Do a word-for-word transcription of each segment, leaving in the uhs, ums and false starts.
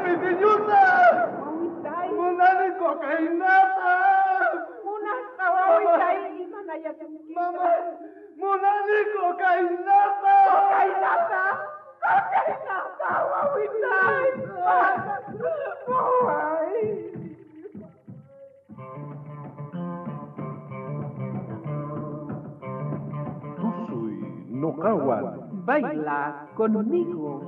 Pitiñuta! Wawitay. Munani cocainata! Munasqa wawitay, imanayasunki. Mama, munani cocainata! Cocainata! Cocainata, wawitay! Waway! Tusuy noqawan. Baila conmigo.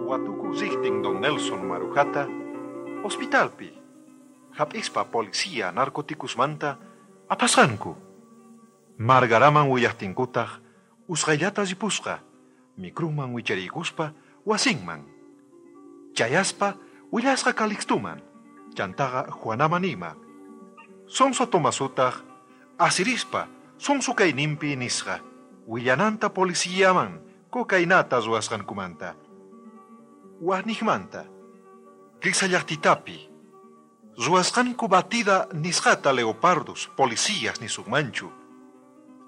Watuku riqtin don Nelson Marujata hospitalpi hap'ispa policía narcoticusmanta apasqanku. Margaraman willaqtinkutaq usqhayllata ripusqa micruman wichariykuspa wasinman. Chayaspa willasqa Calixtuman, chantaqa Juanaman ima. Sonso Tomasutaq asirispa sonso kayninpi nisqa willananta policiaman cocainata ruwasqankumanta. Wajnijmanta, Qisallaqtitapi, ruwasqanku batida nisqata leopardos, policías nisukmanchu.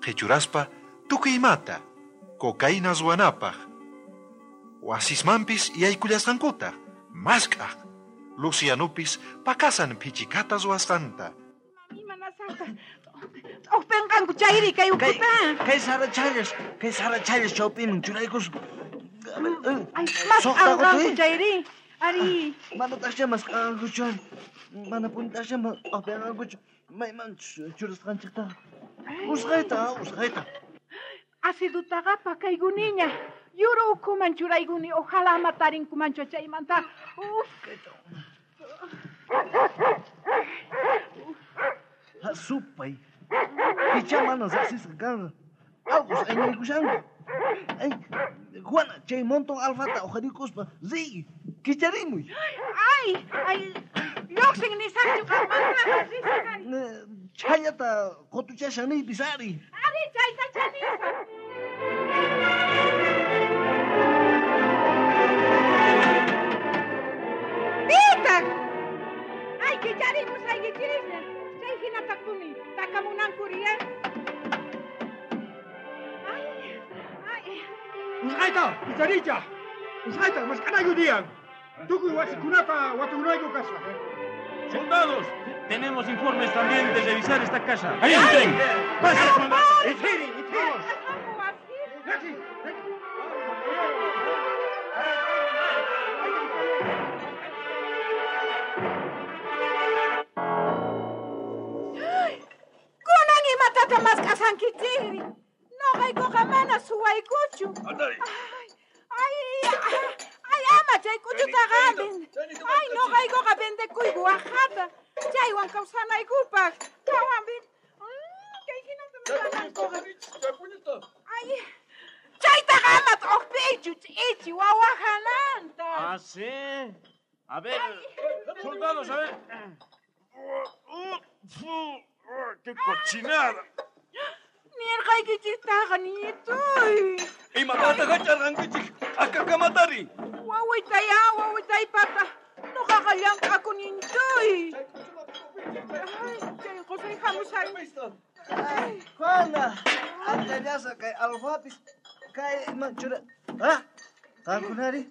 Qhichuraspa tukuy imata, cocaína ruwanapaq. Wasismanpis yaykullasqankutaq, mask'aq. Lucianupis pakasan phichikata ruwasqanta. Imanasaqta. T'uqpenqanku chayri kay ukuta. Kay sarachallas, kay sarachallas chawpiman churaykus. Ay, mas'anqanku chayri. Ari. Manataqcha mas'anqankuchu. Mana punitaqcha t'uqpenqankuchu. Mayman churasqanchiktaqa. Usqhayta, usqhayta. Acidutaqa pakaykuniña. Yuru ukhuman churaykuni. Ojalá ama tarinkumanchu chaymanta. Uf. Ha, supay. Picha mana saqsisqa kanqa. Allqus ayñaykushanku. Ay, Juana, chay montón alfata uqharikuspa riy, kicharimuy. Ay, ay, lluqsin nisaqchu qanmanta risaq. Chhallata qutuchashan niypis ari. Ari, chayta chanisaq. Pitaq! Ay, kicharimusaykichis. Chay hinataqpuni takamunankuriya. Ay, ay. Usqhayta, kicharicha! Usqhayta, mask'anayu diyan. Tukuy wasikunata watukunayku kasqa. Soldados, tenemos informes también de revisar esta casa. ¡Ahí entren! ¡Pasen, soldados! ¡Ithiri, ithiri! Kunan imatata mask'asankichikri. Noqaykuqa mana suwaykuchu. Ay, ay, ay, ama chay k'uchutaqa. Ay, noqaykuqa vendekuyku waqata. Chaywan kawsanaykupaq. Chaywan kay hinata mask'anankuqa. Ay, chaytaqa ama t'uqpiychu, ch'ichi wawajananta. Ah, sí. A ver, soldados, a ver. ¡Qué cochinada! Nirqaykichiktaqa ñituy. Imatata hacharqankichik akakamatari. Wawitay, ah, wawitay pata. Noqaqa llank'akuni ñituy. Ay, chay qusay hamushan. Ay, Juana, akallasa kay alfapis kay ima chura. Ah, qankunari?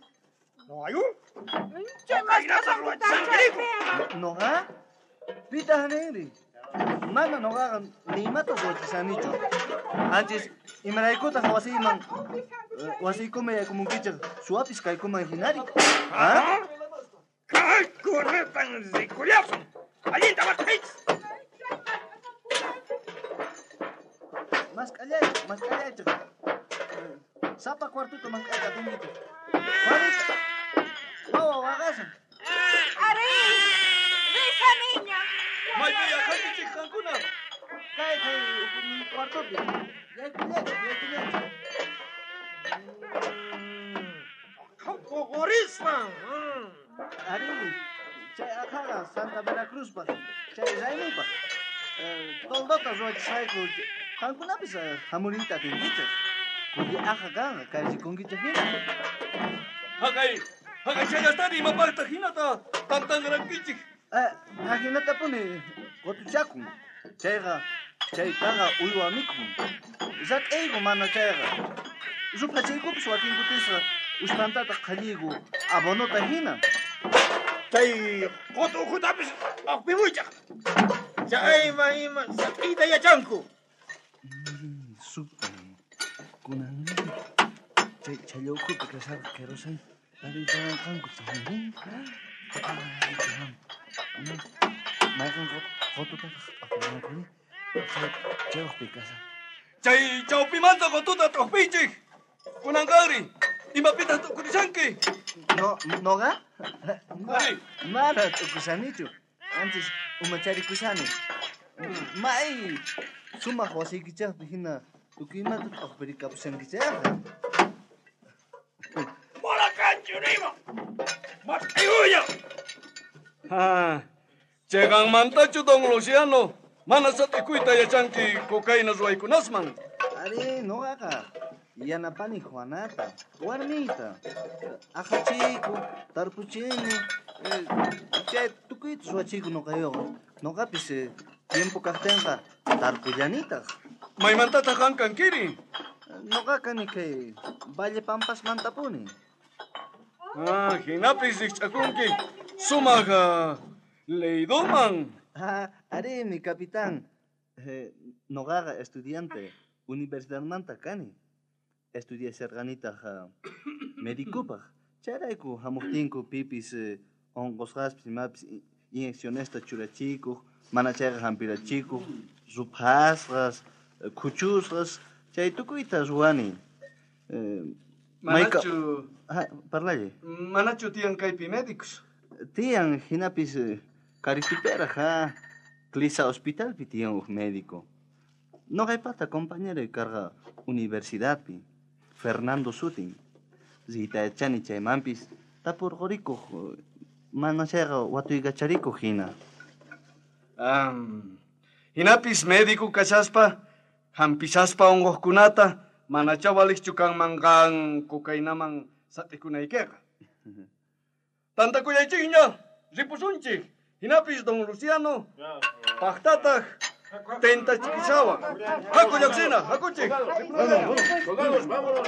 Noqayku? Chay mask'asqankuta chaypiqa. Noqa? Pitaq ninri? Mana noqaqa ni imata ruwachisanichu. Anchis imaraykutaq wasiyman wasiykuman yaykumunkichik suwapis kaykuman hinari. Ah? Kaykunatan rikullasun. Allinta mask'aychis. Mask'allaychik, mask'allaychik. Sapa cuartuta mask'ayta atinkichik. Juanita, wawa waqashan. Ari, risaniña. Maypi yaqankichik qankuna. Kay kay cuartupi. Yaykullaychik, yaykullaychik. Qhurispa. Ari, chay aqhaqa Santa Veracruzpaq, chay raymipaq. Toldota ruwachisqayku qankunapis hamuriyta atinkichik. Kulli aja kanqa kay rikunkichej hina. Haqay, haqay challastari imapaqtaq hinata tantanqarankichik. Ahinatapuni qutuchakun. Chayqa chaytaqa uywa mikhun. Sat'iyku mana chayqa. Ruphachiykupis wakin kutisqa ushpantataq qhalliyku abonota hina. Chay qutu ukhutapis aqpimuychaq. Chayma ima sat'iyta yachanku. Supay. Kunan chay challa ukhupi kasharqa querosén tariytawanqanku chayri. Mayqin qututataq t'uqpinankuri chay chayuqpi kashan. Chay chawpimanta qututa t'uqpiychik. Kunanqanri imapitaq t'ukurishanki? No, noqa? Ari. Mana t'ukushanichu. Antes umacharikushani. May sumaq wasiykichaqpi hina tukuy imata t'uqpirikapushankichaqqa. Mana kanchu nima. Mask'ayuña. Ah, chayqanmantachu don Luciano mana sat'ikuyta yachanki cocaína ruwaykunasman. Ari, noqaqa yanapani Juanata, warmiyta. Aqachiyku, tarpuchini, chay tukuyta ruwachiyku noqayuqa. Noqapis tiempo kaqtinqa tarpullanitaq. Maymantataq qan kankiri? Noqa kani kay Valle Pampasmantapuni. Ah, hinapis rikch'akunki sumaq leydoman. Ah, ari, mi capitán. Eh, noqaqa estudiante universidadmanta kani. Estudiasharqanitaq medicopaq. Chayrayku hamuqtinku pipis unqusqaspis imapis inyeccionesta churachikuq, mana chayqa hampirachikuq, ruphasqas, khuchusqas, chay tukuyta ruwani. Manachu... Ah, parlalle. Manachu tiyan kaypi médicos? Tiyan hinapis karituperaq, ha. Clisa hospitalpi tiyan uj médico. Noqaypata compañero karqa universidadpi, Fernando sutin. Riyta yachani chaymanpis tapurqurikuq, mana chayqa watuykacharikuq hina. Um, hinapis médico kashaspa, hampishaspa unquqkunata, manacha waliqchu kanman qan cocainaman sat'ikunaykiqa. Tantakuyaychikña, ripusunchik. Hinapis don Luciano, paqtataq tentachikishawan. Haku lluqsina, hakuchik. Soldados, vámonos.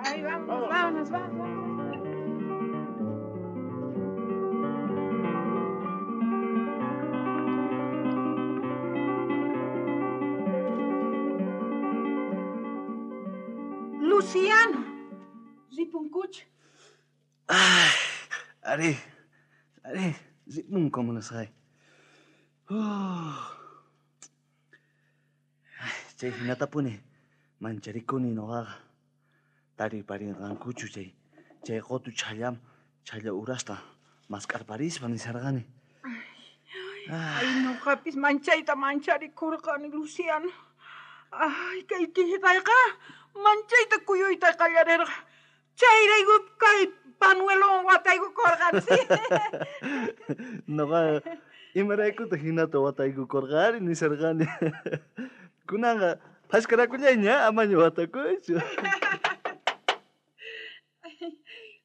Ay, vámonos, vámonos, vámonos. Luciano, ripunkuch. Ay, ari, ari, ripunku munasqay. Chay hinatapuni mancharikuni noqaqa. Tariparinqankuchu chay chay qutu chhallam chhalla urasta mask'arparispa nisharqani. Ay, noqapis manchayta mancharikurqani, Luciano. Ay, kay killitayqa manchayta kuyuyta qallarirqa. Chayrayku kay panuelowan wataykukurqani, sí. Noqa imaraykutaq hinata wataykukurqari nisharqani. Kunanqa phashkarakullayña amaña watakuychu.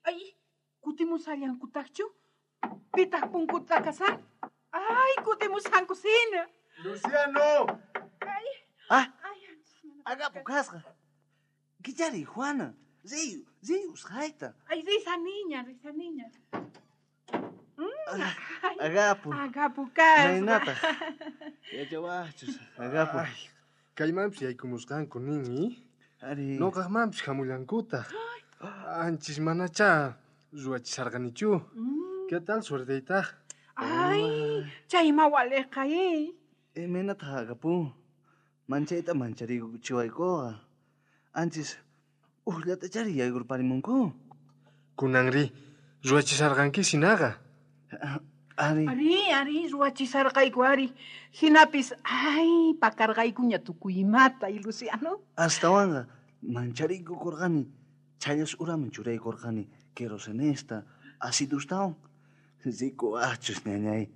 Ay, kutimusallankutaqchu? Pitaq punkuta kasan? Ay, kutimusankusina. Luciano. Ay. Ah. Agapo kasqa. Kichari, Juana. Riy, riy usqhayta. Ay, risa niña, risa niña. Mm, Agapo. Agapo kasqa. Maynataq. Yachawachus, agapo. Ay, kaymanpis yaykumusqanku nin, Ari. Noqaqmanpis hamullankutaq. Anchis manacha ruwachisharqanichu. ¿Qué tal suerteytaq? Ay, chayma waliqa, eh. Imaynataq agapu? Manchayta mancharikuchiwaykuqa. Anchis uqllatachari yaykurparimunku. Kunanri, ruwachisharqanki sinaqa. Ari. Ari, ari, ruwachisharqayku, ari. Hinapis, ay, pakarqaykuña tukuy imata, y Luciano. Astawanqa mancharikukurqani. Chhallas uraman churaykurqani querosenesta, acidustawan. Rikuwachus, ñañay.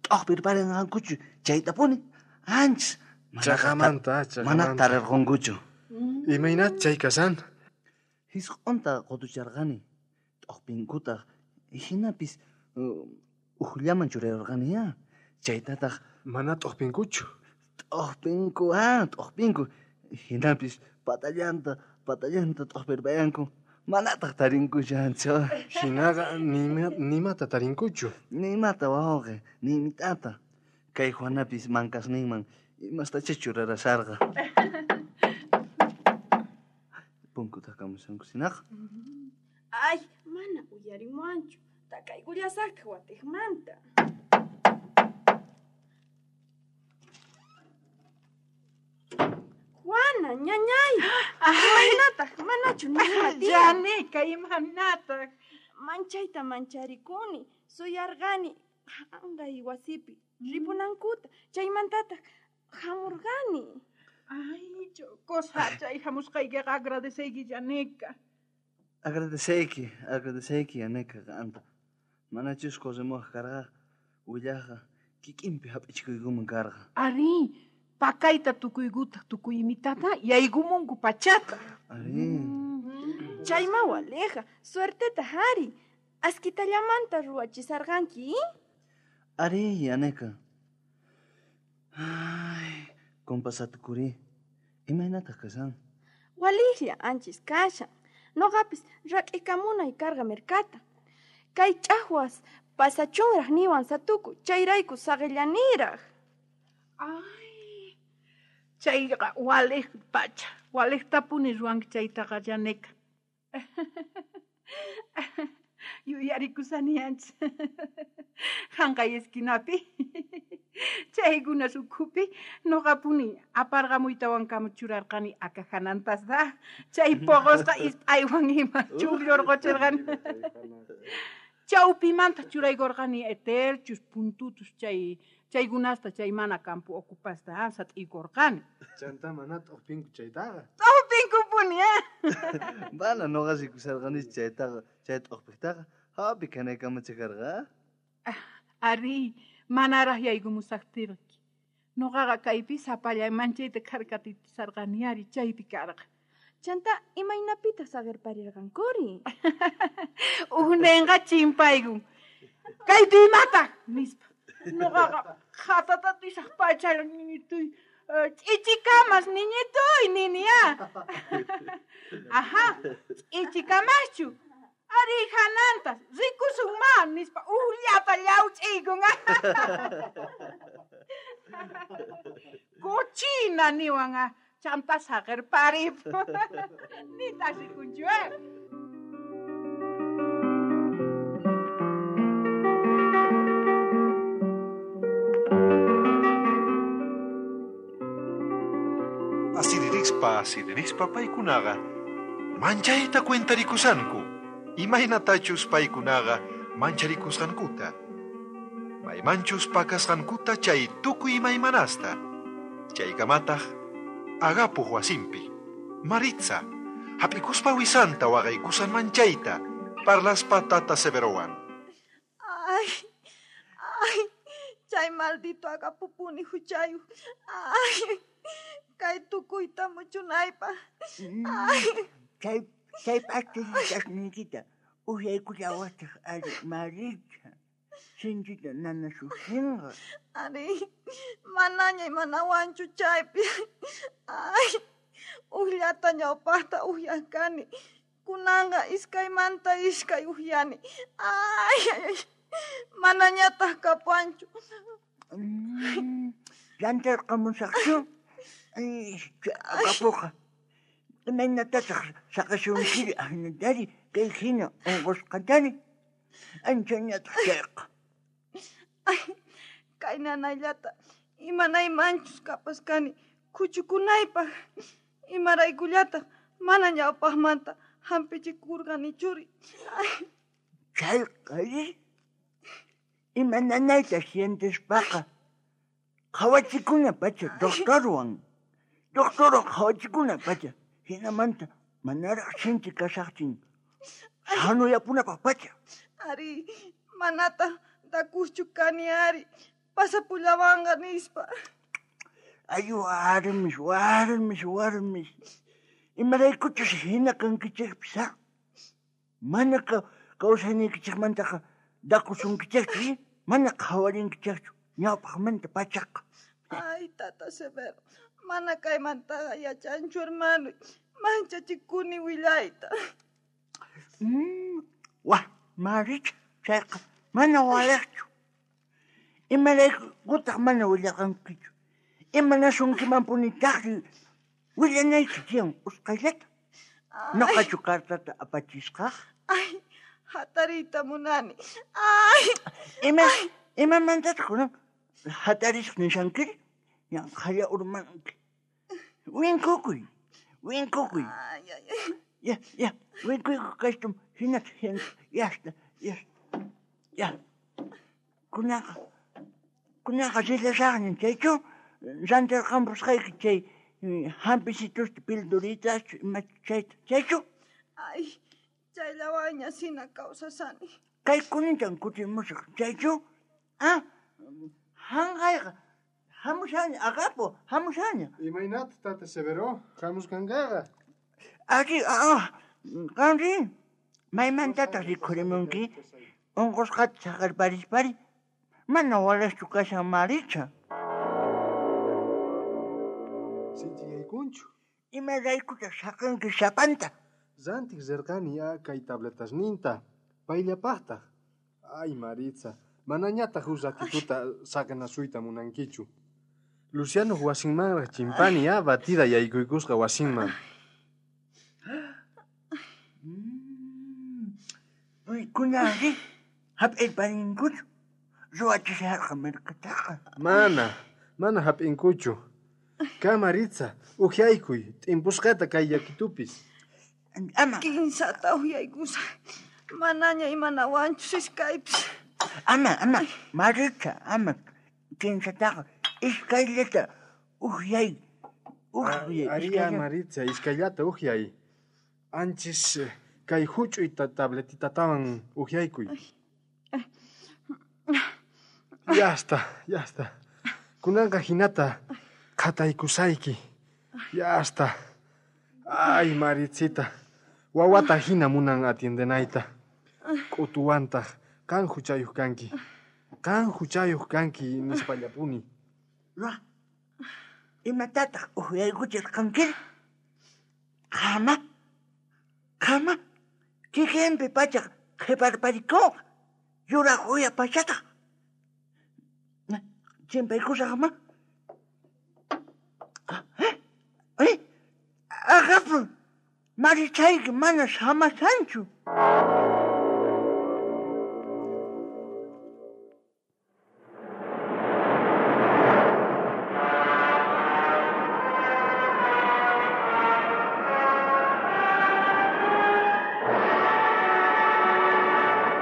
T'uqpirparinqankuchu chaytapuni. Anchis Chaqamanta, mana chaqamanta. tarirqunkuchu. Imaynat chay kasan? Jisq'onta qotucharqani, t'ojpinkutaq, hinapis ujllaman churarqani ya. Chaytataq mana t'ojpinkuchu. T'ojpinku, ah, t'ojpinku. Hinapis patallanta, patallanta t'ojpirpayanku. Manataq tarinkuchanchu. Hinaqa nima, nimata tarinkuchu. Nimata wawqi, nimitata. Kay Juanapis mankasninman imastacha churarasarqa. Punkuta kamushanku sinaqa. Ay, mana uyarimuanchu. Takaykullasaqtaq watiqmanta. Juana, ñañay. Imaynataq, manachu nima tiyan? Janeca, imanataq. Manchayta mancharikuni, suyarqani anqay wasipi ripunankuta, chaymantataq hamurqani. Ay, cosa, chay hamusqaykiqa agradeceyki, Janeca. Agradeceyki, agradeceyki, Janeca, qanta. Manachus corremuaq karqa, willaqqa kikinpi hap'ichikuykuman karqa. Ari, pakayta tukuykuta tukuymitata yaykumunku pachata. Ari. Chayma waleja, suerteta hari. Askitallamanta ruwachisarqanki. Ari, Janeca. Ay, compasatukuri. Imaynataq kashan? Walijlla anchis kashan. Noqapis rak'ikamunay karqa merkata. Kay ch'ajwas pasachunraq niwan satuku, chayrayku saqillaniraq. Ay, chayqa walej pacha, walejtapuni ruwanki chaytaqa, Janeca. Yuyarikusani anchis. Hanqay esquinapi. Chaykuna ukhupi noqapuni aparqamuytawankama churarqani akajanantas da. Chay poqosqa isp'aywan ima chukllurquchirqani. Chawpimanta churaykurqani eterchus, puntutus chay chaykunasta chay mana campo ocupasta sat'iykurqani. Chanta mana t'ojpinku chaytaqa. T'ojpinkupuni, eh? Mana noqa rikusarqanichu chaytaqa, chay t'ojpiktaqa hapi kanaykamacha karqa. Ari, manaraq yaykumusaqtirqi. Noqaqa kaypi sapallay manchayta kharkatitisarqani ari chaypi karqa. Chanta imaynapitaq saqirparirqankuri? Ujnenqa chimpaykun. Kaypi imataq nispa. Noqaqa qhatatatisaq pachalla niñituy. Ch'ichikamas niñituy nini ya. Ajá, ch'ichikamaschu. Ari hanantas, rikusun ma nispa ujllata llawch'iykun. Cochina niwan ah, chanta saqirparip. Nita rikunchu eh. Asiririspa, asiririspa paykunaqa manchayta cuentarikushanku. Imaynatachus paykunaqa mancharikusqankuta. Maymanchus pakasqankuta chay tukuy imaymanasta. Chaykamataq Agapuq wasinpi. Maritza, hap'ikuspa wisanta waqaykusan manchayta, parlaspa tata Severowan. Ay, ay, chay maldito Agapupuni huchayuq. Ay, kay tukuyta muchunaypaq. Ay. Chay chay p'achasniykita uhyaykullawataq ari Maritza. Sinchita nanasushinqa. Ari, manaña imanawanchu chaypi. Ay, ujllata ñawpaqta uhyarqani. Kunanqa iskaymanta iskay uhyani. Ay, ay, ay, manañataq kapuwanchu. Llantarqamusaqchu? Ay, Agapuqa. Imaynatataq saqasunkiri ahinatari kay hina unqusqatari? Anchañataq chayqa. Ay, kay nanayllata imanaymanchus kapaskani khuchukunaypaq. Imaraykullataq mana ñawpaqmanta hampichikurqanichuri. Ay. Chayqa ima nanayta sientespaqa qhawachikuna pacha doctorwan. Doctorwan qhawachikuna pacha. Hinamanta manaraq sinchi kashaqtin sanuyapunapaq pacha. Ari, manataq dakuschu kani ari. Pasapullawanqa nispa. Ay, warmis, warmis, warmis. Imaraykuchus hina kankichikpis, ha? Mana kawsaynikichikmantaqa dakusunkichikchu, mana qhawarinkichikchu ñawpaqmanta pachaqa. Ay, tata Severo, mana kaymantaqa yachanchu, hermano. Manchachikuni willayta. Mm, wah, Maricha, chayqa mana walaqchu. Imaraykutaq mana willaqankichu. Imanasunkimanpunitaqri willanayki tiyan usqhayllata. Noqachu cartata apachisqaq? Ay, hatariyta munani. Ay. Ima, imamantataq kunan hatarisaq nishankiri? Yanqhalla urmanki. Winkukuy, winkukuy. Ay, ay, ay. Ya, ya, winkuyku kashtum hinata hinata, yasta, yasta. Ya. Kunaqa, kunaqa rillasaqña chaychu rantirqampusqayki chay hampisitusta pilduritachu ima chayta, chaychu? Ay, chayllawanña sina kawsasani. Kaykunintan kutimusaq, chaychu? Ah, hanqayqa hamushaña, agapo, hamushaña. Imaynata, tata Severo, hamusqankaqa? Ari, ah, qanri, maymantataq rikhurimunki? Unqusqata saqerparispari, mana walaqchu kashan Maricha. Sinchiyaykunchu. Imaraykutaq saqinki sapanta? Rantiq rirqani ya kay tabletasninta, payllapaqtaq. Ay, Maritza, manañataq huk ratituta saqinasuyta munankichu. Luciano wasinmanraq chimpani ya batida yaykuykusqa wasinman. Kunanri hap'irparinkuchu ruwachisharqa mirkataqa. Mana, mana hap'inkuchu. Ka Maritza, uhyaykuy, t'impusqata kay yakitupis. Ama. Kinsata uhyaykusaq. Manaña imanawanchus iskaypis. Ama, ama, Maritza, ama. Kinsataqa iskayllata uhyay. Uhyay. Aria Maritza, iskayllata uhyay. Anchis kay huch'uy tabletitatawan uhyaykuy. Ya está, ya está. Kunanqa hinata qhataykusayki. Ya está. Ay, Maritzita, wawata hina munan atiendenayta. K'utuwantaq qan huchayuq kanki. Qan huchayuq kanki nispallapuni. Ra, imatataq uhyaykuchirqankiri? Qama, qama, kikinpi pachaq qhiparparikunqa, yuraq uya pachataq. Chimpaykusaqma. Eh, agapo, Marichayki mana samashanchu.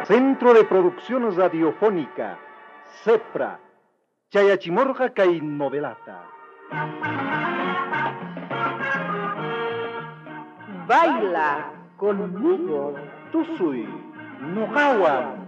Centro de Producción Radiofónica, CEPRA, Chayachimorga kay novelata. Baila conmigo. Tusuy, noqawan.